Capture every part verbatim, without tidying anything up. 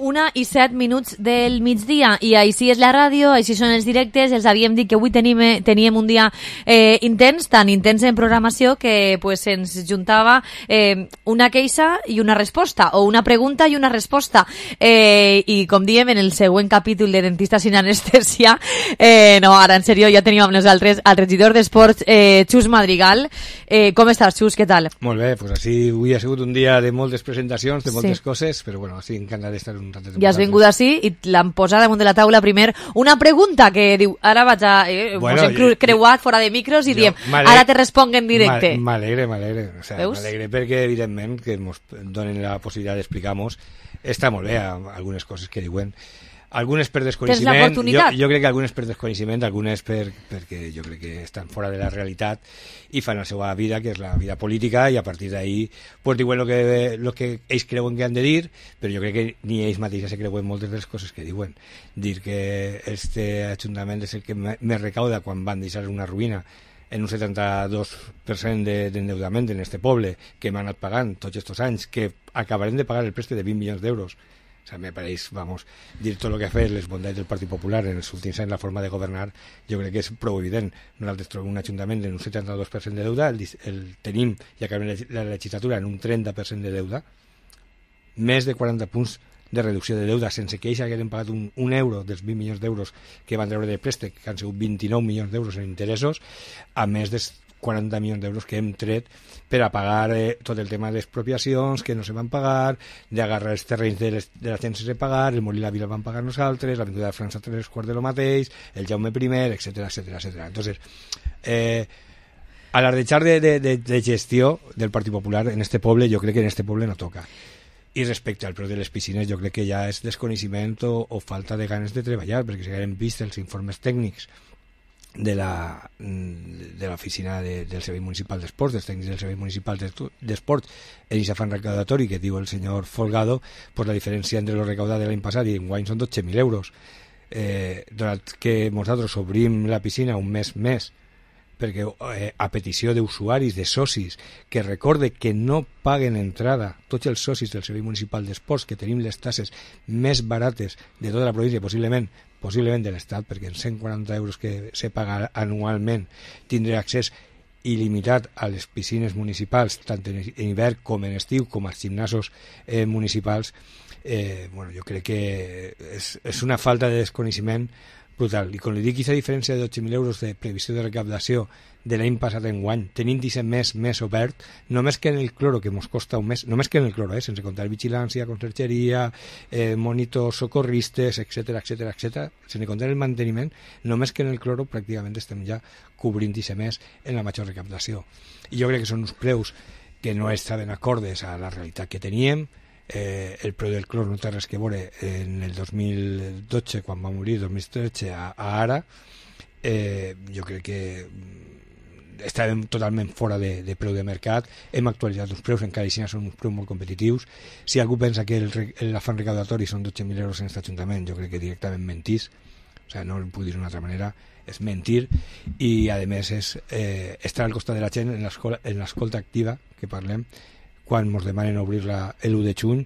Una i set minuts del migdia i així és la ràdio, així són els directes. Els havíem dit que avui tenim, teníem un dia eh, intens, tan intens en programació que pues, ens juntava eh, una queixa i una resposta, o una pregunta i una resposta. Eh, I com diem, en el següent capítol de Dentista sin anestesia, eh, no, ara en sèrio, ja tenim amb nosaltres al regidor d'Esports, eh, Xus Madrigal. Eh, com estàs, Xus? Què tal? Molt bé, pues així avui ha sigut un dia de moltes presentacions, de moltes sí. coses, però bueno, estic encantat d'estar un ratet. Ja has vingut així i l'han posat damunt de la taula primer una pregunta que diu, ara vaig a... Eh, bueno, ens hem creuat fora de micros i jo, diem, ara te responc en directe. M'alegre, m'alegre. O sea, m'alegre perquè, evidentment, que ens donen la possibilitat d'explicar-nos. Està molt bé algunes coses que diuen. Algunes per desconeixement, jo, jo crec que algunes per desconeixement, algunes per, perquè jo crec que estan fora de la realitat i fan la seva vida, que és la vida política, i a partir d'ahí pues, diuen el que, lo que ells creuen que han de dir, però jo crec que ni ells mateixos se creuen moltes de les coses que diuen. Dir que este ajuntament és el que més recauda quan van deixar una ruïna en un setanta-dos per cent d'endeudament de, en este poble, que m'han anat pagant tots aquests anys, que acabarem de pagar el préstec de vint milions d'euros. O sea, me pareix, vamos, dir tot el que ha fet les bondats del Partit Popular en els últims anys, la forma de governar, jo crec que és prou evident. Nosaltres trobem un ajuntament en un setanta-dos per cent de deuda, el, el tenim, i acabem la legislatura en un trenta per cent de deuda, més de quaranta punts de reducció de deuda, sense que ells hagueren pagat un, un euro dels vint milions d'euros que van treure de préstec, que han sigut vint-i-nou milions d'euros en interessos, a més de quaranta milions d'euros que hem tret per a pagar eh, tot el tema d'expropiacions que no se van pagar, d'agarrar els terrenys de, les, de la gent sense pagar, el Molí la Vila el van pagar nosaltres, l'Avinguda de França tres quarts de lo mateix, el Jaume primer, etcètera, etcètera, etcètera. Entonces, eh, alardejar de, de, de, de gestió del Partit Popular en este poble, jo crec que en este poble no toca. I respecte al preu de les piscines, jo crec que ja és desconeixement o, o falta de ganes de treballar, perquè si haguem vist els informes tècnics de la de l'oficina de, del Servei Municipal d'Esports, dels tècnics del Servei Municipal d'Esports, en aquest afany recaudatori que diu el senyor Folgado, pues la diferència entre lo recaudat de l'any passat i enguany són dotze mil euros. Eh, donat que nosaltres obrim la piscina un mes més, perquè eh, a petició d'usuaris, de socis, que recorde que no paguen entrada tots els socis del Servei Municipal d'Esports, que tenim les tasses més barates de tota la província, possiblement possiblement de l'Estat, perquè en cent quaranta euros que se paga anualment tindré accés il·limitat a les piscines municipals, tant en hivern com en estiu, com als gimnasos eh, municipals. Eh, bueno, jo crec que és, és una falta de desconeixement brutal. I com li dic, aquesta diferència de dotze mil euros de previsió de recaptació de l'any passat en guany, tenint disset mes més obert, només que en el cloro, que ens costa un mes, només que en el cloro, eh, sense comptar vigilància, consergeria, eh, monitors, socorristes, etcètera, etcètera, etcètera, sense comptar el manteniment, només que en el cloro pràcticament estem ja cobrint disset mes en la major recaptació. I jo crec que són uns preus que no estaven acordes a la realitat que teníem. Eh, el preu del clor no té res que veure en el dos mil dotze, quan va morir, dos mil tretze, a, a ara. Eh, jo crec que estàvem totalment fora de, de preu de mercat. Hem actualitzat uns preus, encara així són uns preus molt competitius. Si algú pensa que l'afany recaudatori són dotze mil euros en aquest ajuntament, jo crec que directament mentís. O sigui, no ho puc dir d'una altra manera, és mentir, i a més és eh, estar al costat de la gent en l'escolta activa que parlem, quan ens demanen obrir l'u de juny.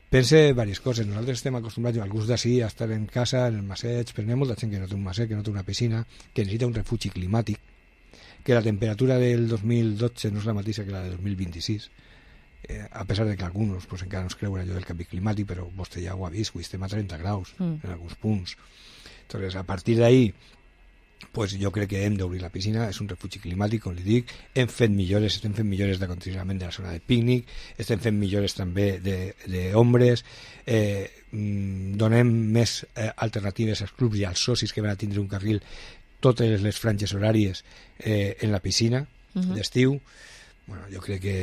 Pense diverses coses. Nosaltres estem acostumbrats, alguns d'ací, a estar en casa, en el maseig, però n'hi ha molta gent que no té un maseig, que no té una piscina, que necessita un refugi climàtic, que la temperatura del dos mil dotze no és la mateixa que la del dos mil vint-i-sis, eh, a pesar de que alguns pues, encara no es creuen allò del canvi climàtic, però vostè ja ho ha vist, estem a trenta graus mm. en alguns punts. Entonces, a partir d'ahí, pues jo crec que hem d'obrir la piscina, és un refugi climàtic, com li dic, hem fet millores, estem fent millores d'acondicionament de la zona de pícnic, estem fent millores també d'ombres, eh, donem més eh, alternatives als clubs i als socis que van a tindre un carril totes les franges horàries eh, en la piscina uh-huh. d'estiu. Bueno, jo crec que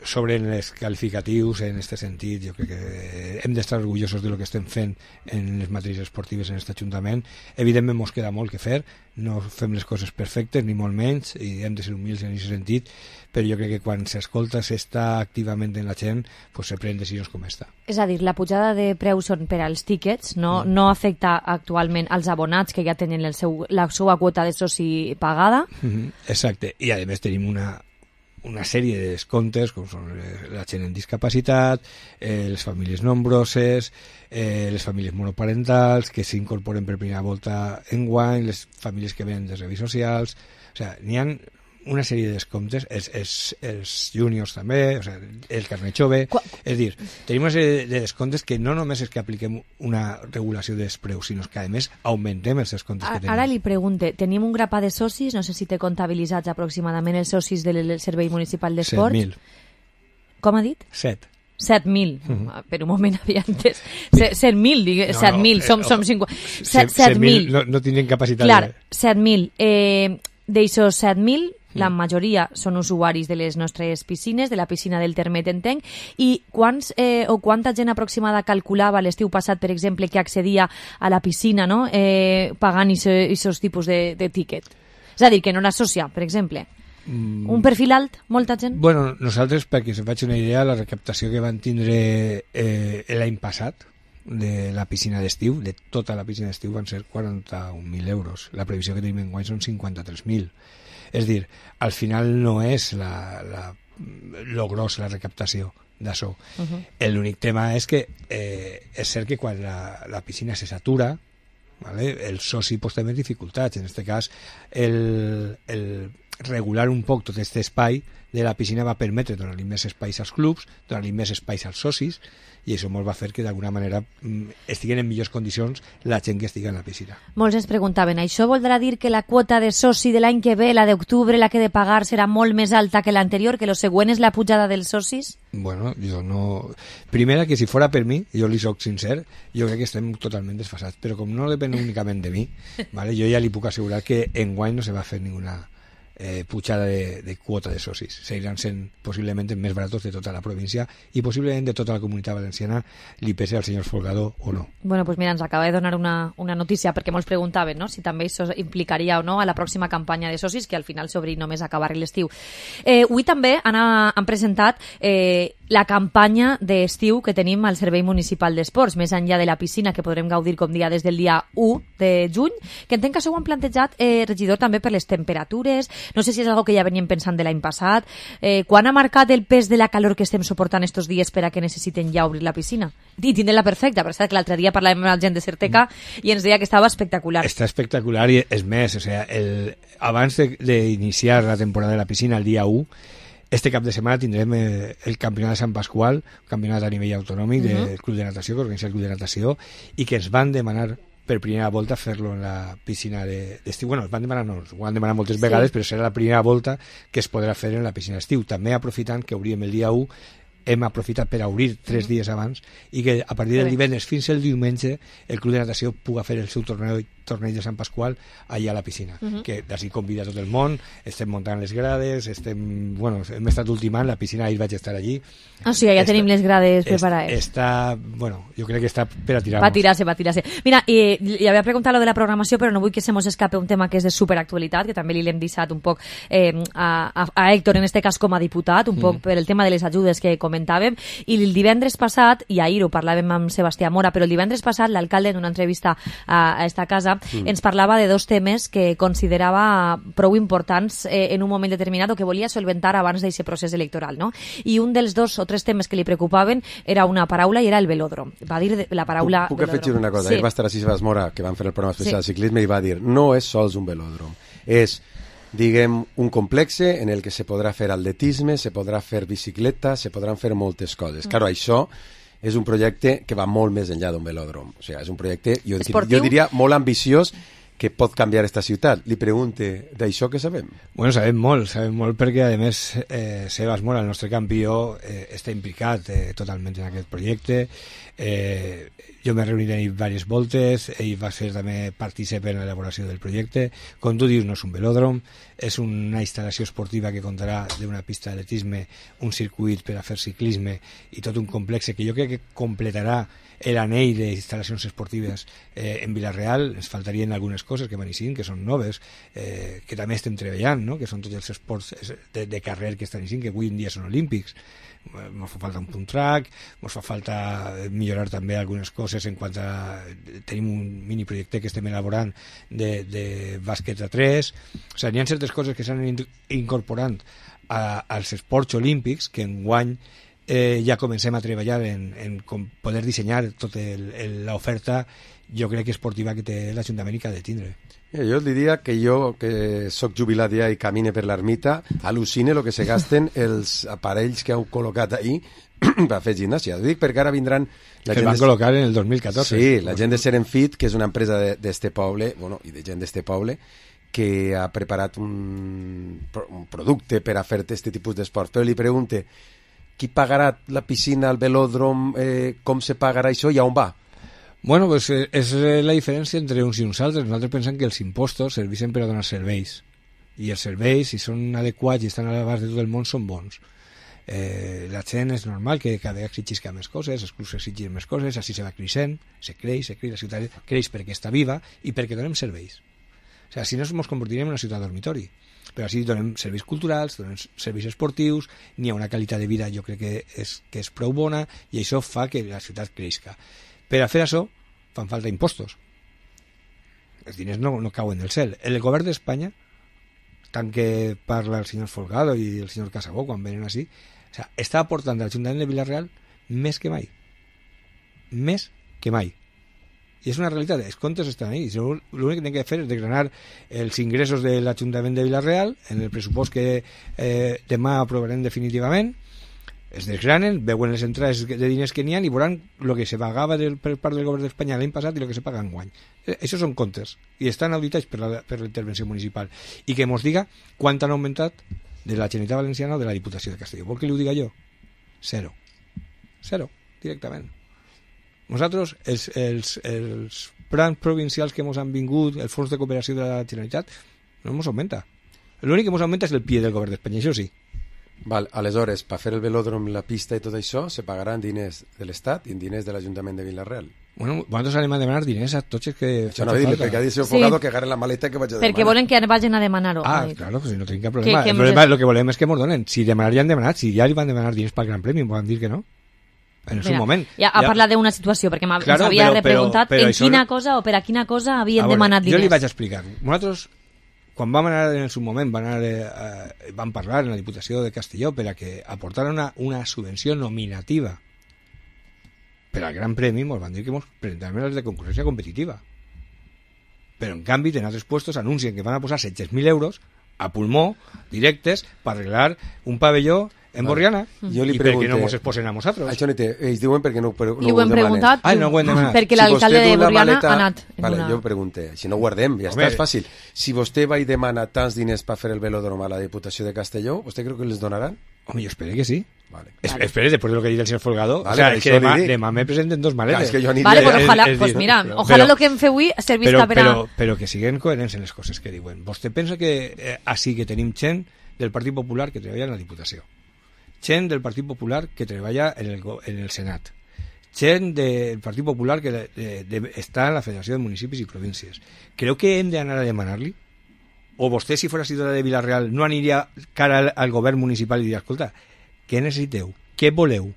sobre els qualificatius en aquest sentit, jo crec que hem d'estar orgullosos de lo que estem fent en les matèries esportives en aquest Ajuntament. Evidentment ens queda molt que fer, no fem les coses perfectes ni molt menys i hem de ser humils en aquest sentit, però jo crec que quan s'escolta, s'està activament en la gent, pues se prenen decisions com esta. És a dir, la pujada de preus són per als tíquets, no, mm. no afecta actualment als abonats que ja tenen el seu, la seva quota de soci pagada? Mm-hmm. Exacte, i a més tenim una una sèrie de descomptes, com són la gent en discapacitat, eh, les famílies nombroses, eh, les famílies monoparentals, que s'incorporen per primera volta en guany, les famílies que venen de serveis socials... O sigui, n'hi ha una sèrie de descomptes, els, els, els juniors també, o sigui, el carnet jove... Qua... És dir, tenim una sèrie de descomptes que no només és que apliquem una regulació dels preus, sinó que, a més, augmentem els descomptes a, que tenim. Ara li pregunte, tenim un grapat de socis, no sé si té comptabilitzats aproximadament els socis del Servei Municipal d'Esports. set mil. Com ha dit? set. set mil. Uh-huh. Per un moment havia entès. set mil, digues, no, set mil, no, som, eh, som cinquanta... set mil. No, no tindrien capacitat Clar, de... set mil. Eh, D'eixos set mil, la majoria són usuaris de les nostres piscines, de la piscina del Termet, entenc, i quants eh, o quanta gent aproximada calculava l'estiu passat, per exemple, que accedia a la piscina, no?, eh, pagant aquests tipus de, de tíquet? És a dir, que no n'associa, per exemple. Mm. Un perfil alt, molta gent? Bueno, nosaltres, perquè se'n faig una idea, la recaptació que van tindre eh, l'any passat de la piscina d'estiu, de tota la piscina d'estiu, van ser quaranta-un mil euros. La previsió que tenim en guany són cinquanta-tres mil. És dir, al final no és la, la, lo gros la recaptació d'això. Uh-huh. L'únic tema és que eh, és cert que quan la, la piscina se satura, ¿vale?, el soci pot tenir dificultats. En aquest cas, el, el regular un poc tot aquest espai de la piscina va permetre donar-li més espais als clubs, donar-li més espais als socis, i això molt va fer que d'alguna manera estiguen en millors condicions la gent que estigui en la piscina. Molts ens preguntaven, això voldrà dir que la quota de soci de l'any que ve, la d'octubre, la que he de pagar, serà molt més alta que l'anterior, que lo següent és la pujada dels socis? Bueno, jo no... Primera, que si fora per mi, jo li soc sincer, jo crec que estem totalment desfasats, però com no depèn únicament de mi, ¿vale?, jo ja li puc assegurar que enguany no se va fer ninguna eh, pujada de, de quota de socis. Seguiran sent possiblement més baratos de tota la província i possiblement de tota la comunitat valenciana, li pese al senyor Folgado o no. Bueno, pues mira, ens acaba de donar una, una notícia, perquè molts preguntaven, no?, si també això implicaria o no a la pròxima campanya de socis, que al final s'obri només a acabar l'estiu. Eh, avui també han, han presentat eh, la campanya d'estiu que tenim al Servei Municipal d'Esports, més enllà de la piscina, que podrem gaudir com dia des del dia u de juny, que entenc que això ho han plantejat, eh, regidor, també per les temperatures. No sé si és algo que ja veníem pensant de l'any passat. Eh, quan ha marcat el pes de la calor que estem suportant estos dies per a que necessiten ja obrir la piscina? I tindre-la perfecta, perquè que l'altre dia parlàvem amb la gent de Certeca i ens deia que estava espectacular. Està espectacular i és més, o sea, el, abans d'iniciar la temporada de la piscina el dia u, este cap de setmana tindrem eh, el campionat de Sant Pasqual, un campionat a nivell autonòmic uh-huh. del Club de Natació, que organitza el Club de Natació, i que ens van demanar per primera volta fer-lo en la piscina d'estiu. Bueno, es van demanar, no, ho han demanat moltes sí. vegades, però serà la primera volta que es podrà fer en la piscina d'estiu. També aprofitant que obríem el dia u, hem aprofitat per obrir tres dies abans i que a partir del divendres fins al diumenge el Club de Natació puga fer el seu torneig, torneig de Sant Pasqual allà a la piscina, uh-huh. que d'ací convida tot el món, estem muntant les grades, estem, bueno, hem estat ultimant, la piscina ahir vaig estar allí. Ah, o sigui, ja està, tenim les grades preparades. Està, bueno, jo crec que està per a tirar-nos. Va tirar-se, va tirar-se. Mira, eh, li havia preguntat lo de la programació, però no vull que se mos escape un tema que és de superactualitat, que també li l'hem deixat un poc eh, a, a, a Héctor, en este cas com a diputat, un mm. poc per el tema de les ajudes que comentàvem, i el divendres passat, i ahir ho parlàvem amb Sebastià Mora, però el divendres passat l'alcalde en una entrevista a, a esta casa mm. ens parlava de dos temes que considerava prou importants eh, en un moment determinat o que volia solventar abans d'aquest procés electoral, no? I un dels dos o tres temes que li preocupaven era una paraula i era el velòdrom. Va dir de, la paraula puc, puc afegir una cosa, sí. va estar a Sebastià Mora, que van fer el programa especial sí. de ciclisme, i va dir, no és sols un velòdrom, és diguem, un complexe en el que se podrà fer atletisme, se podrà fer bicicleta, se podran fer moltes coses. Mm. Claro, això és un projecte que va molt més enllà d'un velòdrom. O sigui, és un projecte, jo, jo diria, molt ambiciós, que pot canviar esta ciutat. Li pregunte d'això que sabem. Bueno, sabem molt, sabem molt perquè, a més, eh, Sebas Mora, el nostre campió, eh, està implicat eh, totalment en aquest projecte. Eh, jo m'he reunit ahir diverses voltes, ell va ser també partícip en l'elaboració del projecte. Com tu dius, no és un velòdrom, és una instal·lació esportiva que comptarà d'una pista d'atletisme, un circuit per a fer ciclisme i tot un complex que jo crec que completarà l'anell d'instal·lacions esportives eh, en Vila-real. Ens faltarien algunes coses que manissin, que són noves, eh, que també estem treballant, no?, que són tots els esports de, de carrer que estan així, que avui en dia són olímpics. Ens fa falta un punt track, ens fa falta millorar també algunes coses en quant a... Tenim un mini projecte que estem elaborant de, de bàsquet a tres. O sigui, hi ha certes coses que s'han incorporant a, als esports olímpics que enguany eh, ja comencem a treballar en, en com poder dissenyar tota l'oferta, jo crec que esportiva que té l'Ajuntament i que ha de tindre. Jo et diria que jo, que soc jubilat ja i camine per l'ermita, al·lucine el que se gasten els aparells que heu col·locat ahir per fer gimnàsia. Ho dic perquè ara vindran... La que gent van de... col·locar en el dos mil catorze. Sí, la gent de Serenfit, que és una empresa d'este poble, bueno, i de gent d'este poble, que ha preparat un, un producte per a fer aquest tipus d'esports. Però li pregunte, qui pagarà la piscina, el velòdrom, eh, com se pagarà això i on va? Bueno, pues eh, és la diferència entre uns i uns altres. Nosaltres pensem que els impostos serveixen per a donar serveis. I els serveis, si són adequats i estan a l'abast de tot el món, són bons. Eh, la gent és normal que cada vegada exigisca més coses, els clubs exigien més coses, així se va creixent, se creix, se creix, la ciutat creix perquè està viva i perquè donem serveis. O sigui, si no ens convertirem en una ciutat dormitori. Però així donem serveis culturals, donem serveis esportius, n'hi ha una qualitat de vida, jo crec que és, que és prou bona, i això fa que la ciutat creixca. Per a fer això fan falta impostos. Els diners no, no cauen del cel. El govern d'Espanya, tant que parla el senyor Folgado i el senyor Casabó quan venen així, o sea, està aportant a l'Ajuntament de Vila-real més que mai. Més que mai. I és una realitat, els comptes estan ahí. L'únic que hem de fer és desgranar els ingressos de l'Ajuntament de Vila-real en el pressupost que eh, demà aprovarem definitivament. Es desgranen, veuen les entrades de diners que n'hi ha i veuran el que se pagava del, per part del govern d'Espanya l'any passat i el que se paga enguany. Això són comptes i estan auditats per la, per la intervenció municipal. I que mos diga quant han augmentat de la Generalitat Valenciana o de la Diputació de Castelló. Vol que li ho diga jo? Zero. Zero, directament. Nosaltres, els, els, els plans provincials que ens han vingut, el fons de cooperació de la Generalitat, no ens augmenta. L'únic que ens augmenta és el pie del govern d'Espanya, això sí. Val, aleshores, per fer el velòdrom, la pista i tot això, se pagaran diners de l'Estat i diners de l'Ajuntament de Vila-real. Bueno, nosaltres anem a demanar diners a tots els que... Això no dir, perquè ha dit el Folgado que agarren la maleta que vaig a demanar. Perquè volen que vagin a demanar-ho. Ah, claro, pues no tenim cap problema. Que, que el problema, lo que volem és que mos donen. Si demanar ja han demanat, si ja li van demanar diners pel Gran Premi, em poden dir que no. En el seu moment. Ja ha parlat d'una situació, perquè m'havia claro, repreguntat però, però en quina no... cosa o per a quina cosa havien veure, demanat diners. Jo li vaig explicar. Nosaltres... Quan vam anar en el seu moment, van, anar, eh, van parlar en la Diputació de Castelló per a que aportaran una, una subvenció nominativa per al Gran Premi, ens van dir que ens presentaran les de concurrència competitiva. Però en canvi, en altres puestos anuncien que van a posar set-cents mil euros a pulmó, directes, per arreglar un pavelló en Borriana. Jo li I pregunte, per què no ens exposen a nosaltres? Això no té, ells diuen perquè no, no I ho hem preguntat, ah, no ho hem demanat. perquè l'alcalde si de Borriana maleta, ha anat. Vale, una... jo pregunte, si no guardem, ja Home, està, és fàcil. Si vostè va i demana tants diners per fer el velòdrom a la Diputació de Castelló, vostè creu que els donaran? Home, jo espero que sí. Vale. Es, vale. Espere, después de lo que dice el señor Folgado, vale, o sea, es que demà, demà me presenten dos maletes. Claro, es que yo ni vale, pues ojalá, es, pues es, mira, pero, ojalá pero, lo que hem fet avui servisca per a... Però, però que siguen coherents en les coses que diuen. Vostè pensa que eh, així que tenim gent del Partit Popular que treballa en la Diputació, gent del Partit Popular que treballa en el, en el Senat, gent del Partit Popular que de, de, de, està en la Federació de Municipis i Províncies. Creu que hem d'anar a demanar-li? O vostè, si fos ciutadà de Vila-real, no aniria cara al, al govern municipal i diria, escolta, què necessiteu? Què voleu?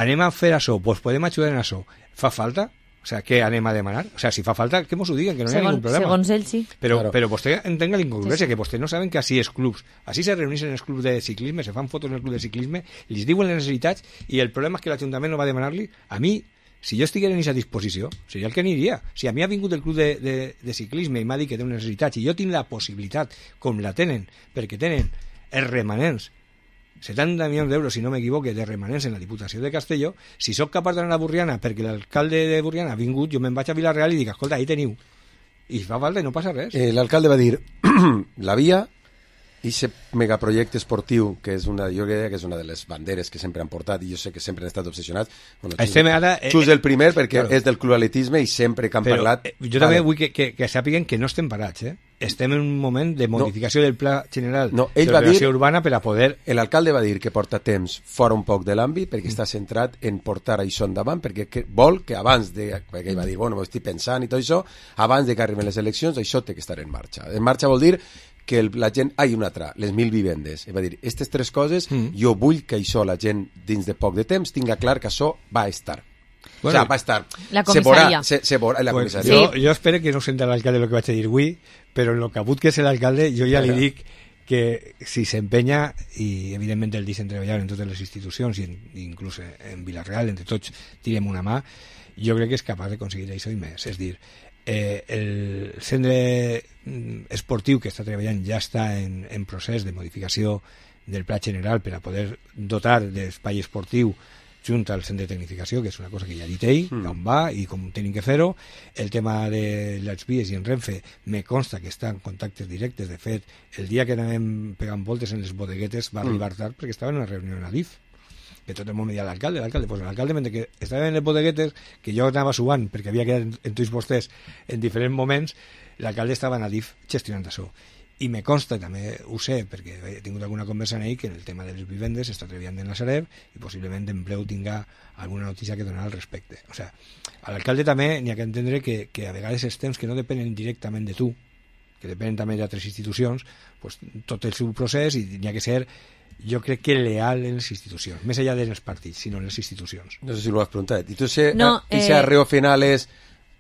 Anem a fer això? Doncs pues podem ajudar en això. Fa falta? O sea, què anem a demanar? O sea, si fa falta, que mos ho diguen, que no Segon, hi ha ningún problema. Segons ell, sí. Però, claro. però vostè entenga la incongruència, sí, sí. que vostè no saben que així és clubs. Així se reuneixen els clubs de ciclisme, se fan fotos en el club de ciclisme, li diuen les necessitats, i el problema és que l'Ajuntament no va demanar-li. A mi, si jo estigués en aquesta disposició, seria el que aniria. Si a mi ha vingut el club de, de, de ciclisme i m'ha dit que té unes necessitats, i jo tinc la possibilitat, com la tenen, perquè tenen els remanents, setanta milions d'euros, si no m'equivoque, de remanents en la Diputació de Castelló, si sóc capaç d'anar a Borriana perquè l'alcalde de Borriana ha vingut, jo me'n vaig a Vila-real i dic, escolta, ahí teniu. I fa falta i no passa res. Eh, l'alcalde va dir, la via, i aquest megaprojecte esportiu, que és una, jo crec que és una de les banderes que sempre han portat, i jo sé que sempre han estat obsessionats. Bueno, Estem ara... Eh, Xus el primer, perquè claro. És del club atletisme i sempre que han Però, parlat... Eh, jo també vale. vull que, que, que sàpiguen que no estem parats, eh? Estem en un moment de modificació no. del pla general no, de l'ordenació urbana per a poder... L'alcalde va dir que porta temps fora un poc de l'àmbit perquè mm. està centrat en portar això endavant, perquè que vol que abans de... perquè ell va dir, bueno, m'ho estic pensant i tot això, abans de que arriben les eleccions, això té que estar en marxa. En marxa vol dir que el, la gent... Ah, i una altra, les mil vivendes. I va dir, aquestes tres coses, mm. jo vull que això la gent, dins de poc de temps, tinga clar que això va estar. Bueno, o sea, va estar... La comissaria. Se, se veurà, la pues, comissaria. Jo, jo espero que no senta l'alcalde el que vaig a dir avui, però en lo cabut que és l'alcalde, jo ja li dic que si s'empenya, i evidentment el deixen treballar en totes les institucions, i en, inclús en Vila-real, entre tots tirem una mà, jo crec que és capaç d'aconseguir això i més. És dir, eh, el centre esportiu que està treballant ja està en, en procés de modificació del pla general per a poder dotar d'espai esportiu junt al centre de tecnificació, que és una cosa que ja ha dit ell, mm. on va i com tenim que fer-ho. El tema de les vies i en Renfe me consta que està en contactes directes. De fet, el dia que anàvem pegant voltes en les bodeguetes va arribar tard perquè estava en una reunió en Adif, que tot el món me deia l'alcalde, l'alcalde, pues l'alcalde, mentre que estava en les bodeguetes, que jo anava suant perquè havia quedat en, en tots vostès en diferents moments, l'alcalde estava en Adif gestionant això. I me consta, també ho sé, perquè he tingut alguna conversa en ell, que en el tema de les vivendes està treballant en la Sareb i possiblement en breu tinga alguna notícia que donar al respecte. O sea, a l'alcalde també n'hi ha que entendre que, que a vegades els temps que no depenen directament de tu, que depenen també d'altres institucions, pues, tot el seu procés, i n'hi ha que ser, jo crec que leal en les institucions, més allà dels partits, sinó en les institucions. No sé si lo has preguntat. I tu sé, no, ese eh... arreo final és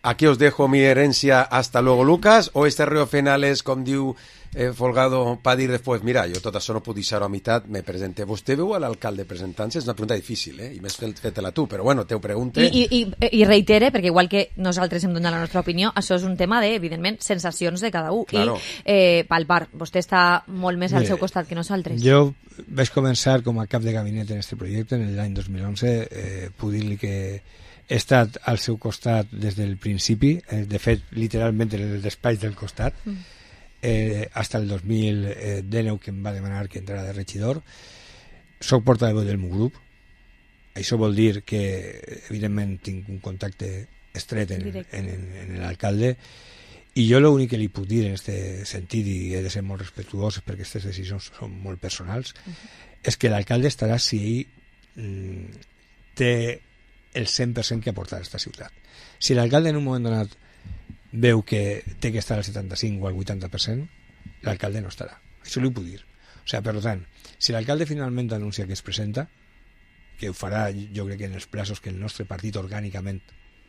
aquí os dejo mi herencia, hasta luego Lucas, o este arreo final és, com diu eh, Folgado, pa dir després, mira, jo tot això no puc deixar-ho a meitat, me presente. Vostè veu a l'alcalde presentant-se? És una pregunta difícil, eh? I més fet-la tu, però bueno, te ho pregunte. I, i, i reitere, perquè igual que nosaltres hem donat la nostra opinió, això és un tema de, evidentment, sensacions de cada un. Claro. I eh, palpar, vostè està molt més al Mire, seu costat que nosaltres. Jo vaig començar com a cap de gabinet en aquest projecte en l'any dos mil onze, eh, puc dir-li que he estat al seu costat des del principi, eh, de fet, literalment en el despatx del costat, mm. eh, hasta el dos mil dinou, que em va demanar que entrara de regidor. Soc portaveu del meu grup. Això vol dir que, evidentment, tinc un contacte estret en, en, en, en l'alcalde, i jo l'únic que li puc dir en aquest sentit, i he de ser molt respectuós perquè aquestes decisions són molt personals, uh -huh. és que l'alcalde estarà si ell mm, té el cent per cent que aportar a aquesta ciutat. Si l'alcalde en un moment donat veu que té que estar al setanta-cinc o al vuitanta per cent, l'alcalde no estarà. Això li ho puc dir. O sigui, per tant, si l'alcalde finalment anuncia que es presenta, que ho farà, jo crec que en els plaços que el nostre partit orgànicament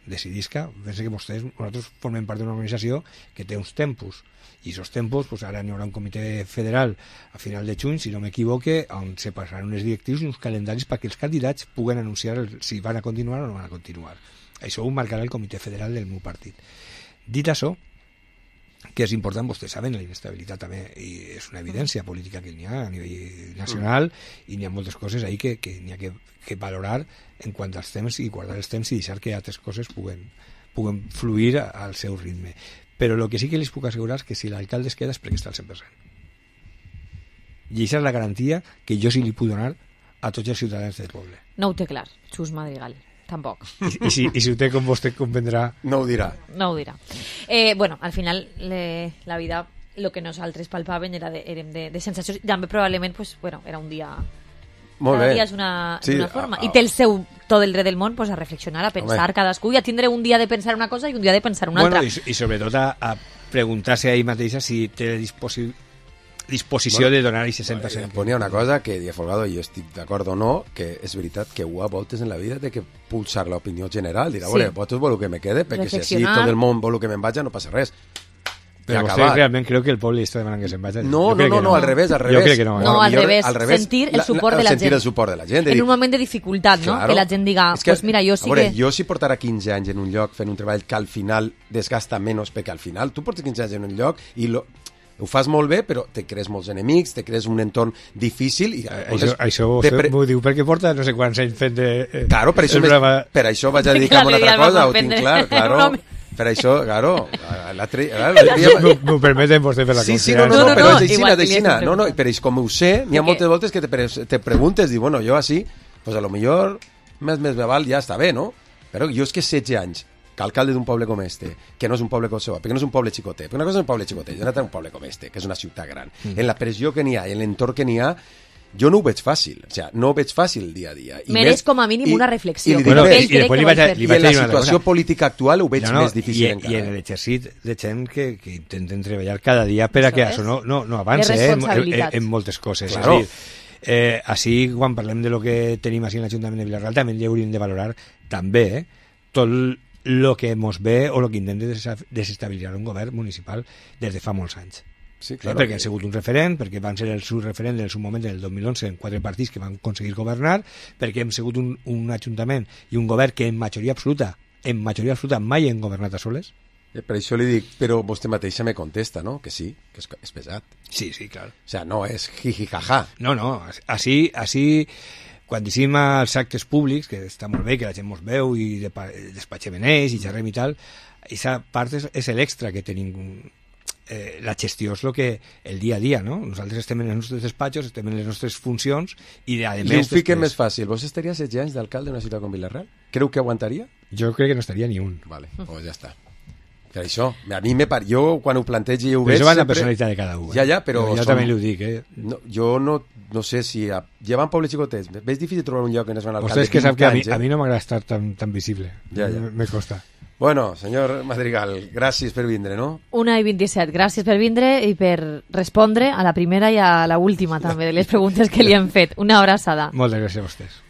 decidisca, pensa que vostès, nosaltres formem part d'una organització que té uns tempos, i aquests tempos, pues ara n'hi haurà un comitè federal a final de juny, si no m'equivoque, on se passaran unes directrius i uns calendaris perquè els candidats puguen anunciar el, si van a continuar o no van a continuar. Això ho marcarà el comitè federal del meu partit. Dit això, que és important, vostès saben, la inestabilitat també, i és una evidència política que n'hi ha a nivell nacional, i n'hi ha moltes coses ahí que, que n'hi ha que, que valorar en quant als temps i guardar els temps i deixar que altres coses puguen, puguen fluir al seu ritme. Però el que sí que les puc assegurar és que si l'alcalde es queda és perquè està al cent per cent. I això és la garantia que jo sí li puc donar a tots els ciutadans del poble. No ho té clar, Xus Madrigal. Tampoc. I, i, si, i si ho té com vostè comprendrà... No ho dirà. No ho dirà. Eh, bueno, al final le, la vida, el que nosaltres palpaven era de, érem de, de sensacions. També probablement pues, bueno, era un dia... Molt cada bé. dia és una, sí, una forma. A, a, I té el seu, tot el dret del món pues, a reflexionar, a pensar home. Cadascú, i a tindre un dia de pensar una cosa i un dia de pensar una bueno, altra. I, i sobretot a, a preguntar-se a ell mateixa si té disposi disposició bueno, de donar aquest cent per cent. Bueno, ponia una cosa que dia Folgado, i jo estic d'acord o no, que és veritat que ho a voltes en la vida de que pulsar l'opinió general, dirà, sí. Vosaltres voleu que me quede, perquè si així tot el món vol que me'n vaig, no passa res. Però vostè realment creu que el poble està demanant que se'n vagi? No, no, no, no, no, al revés, al revés. Jo crec que no. Eh? No, al revés, al revés, sentir el suport de la gent. Sentir el suport de la gent. En un moment de dificultat, no? Claro. Que la gent diga, es que, pues mira, jo sí veure, que... Jo si portara quinze anys en un lloc fent un treball que al final desgasta menys, perquè al final tu portes quinze anys en un lloc i lo... ho fas molt bé, però te crees molts enemics, te crees un entorn difícil... I, això doncs, això vostè pre... m'ho diu perquè porta no sé quants anys fent de... Eh, claro, per això, programa... per això vaig a dedicar a una altra cosa, ho tinc clar, claro... Per això, claro, l'altre... M'ho permeten vostè fer la sí, sí, no, no, no, però és aixina, d'aixina. No, no, però com ho sé, n'hi ha moltes voltes que te, pre te preguntes, diu, bueno, jo així, pues a lo millor més més me val, ja està bé, no? Però jo és que setze anys, que alcalde d'un poble com este, que no és un poble com seu, perquè no és un poble xicotet, perquè una cosa és un poble xicotet, i una altra un poble com este, que és una ciutat gran. Mm. En la pressió que n'hi ha, en l'entorn que n'hi ha, jo no ho veig fàcil, o sigui, no ho veig fàcil dia a dia. I Mereix més, com a mínim i, una reflexió. I, i, bueno, i, i, i després li vaig, a, li i vaig en a la dir una situació cosa. política actual ho veig no, no, més difícil i, encara. I en l'exercit de gent que, que intenten treballar cada dia per a que això no, no, no avanci eh, en, en, en moltes coses. Claro. És a dir, eh, així, quan parlem de lo que tenim així en l'Ajuntament de Vilarreal, també hi hauríem de valorar també eh, tot el que mos ve o el que intenta desestabilitzar un govern municipal des de fa molts anys. Sí, claro, perquè han sigut un referent, perquè van ser el seu referent en el seu moment, en el dos mil onze, en quatre partits que van aconseguir governar, perquè hem sigut un, un ajuntament i un govern que en majoria absoluta, en majoria absoluta mai hem governat a soles. Per això li dic, però vostè mateixa me contesta, no? Que sí, que és, és pesat. Sí, sí, clar. O sea, no és jijijaja. No, no, així, així quan dicim als actes públics, que està molt bé, que la gent mos veu i despatxem en ells i xerrem i tal, aquesta part és, és l'extra que tenim. Eh, la gestió és el que el dia a dia, no? Nosaltres estem en els nostres despatxos, estem en les nostres funcions i a més... I ho fiquem més fàcil. Vos estaria setze anys d'alcalde d'una ciutat com Vilarreal? Creu que aguantaria? Jo crec que no estaria ni un. Vale, pues ja està. Per això, a mi me par... jo quan ho plantegi i ho veig... Però això va sempre... la personalitat de cada un. Eh? Ja, ja, però... Jo, jo som... també li ho dic, eh? No, jo no, no sé si... A... Llevant pobles xicotets, és difícil trobar un lloc on es van alcalde. Vostè és que sap que a mi, a mi no m'agrada estar tan, tan visible. Ja, ja. Me costa. Bueno, senyor Madrigal, gràcies per vindre, no? Una i vint-i-set. Gràcies per vindre i per respondre a la primera i a la última també de les preguntes que li hem fet. Una abraçada. Moltes gràcies a vostès.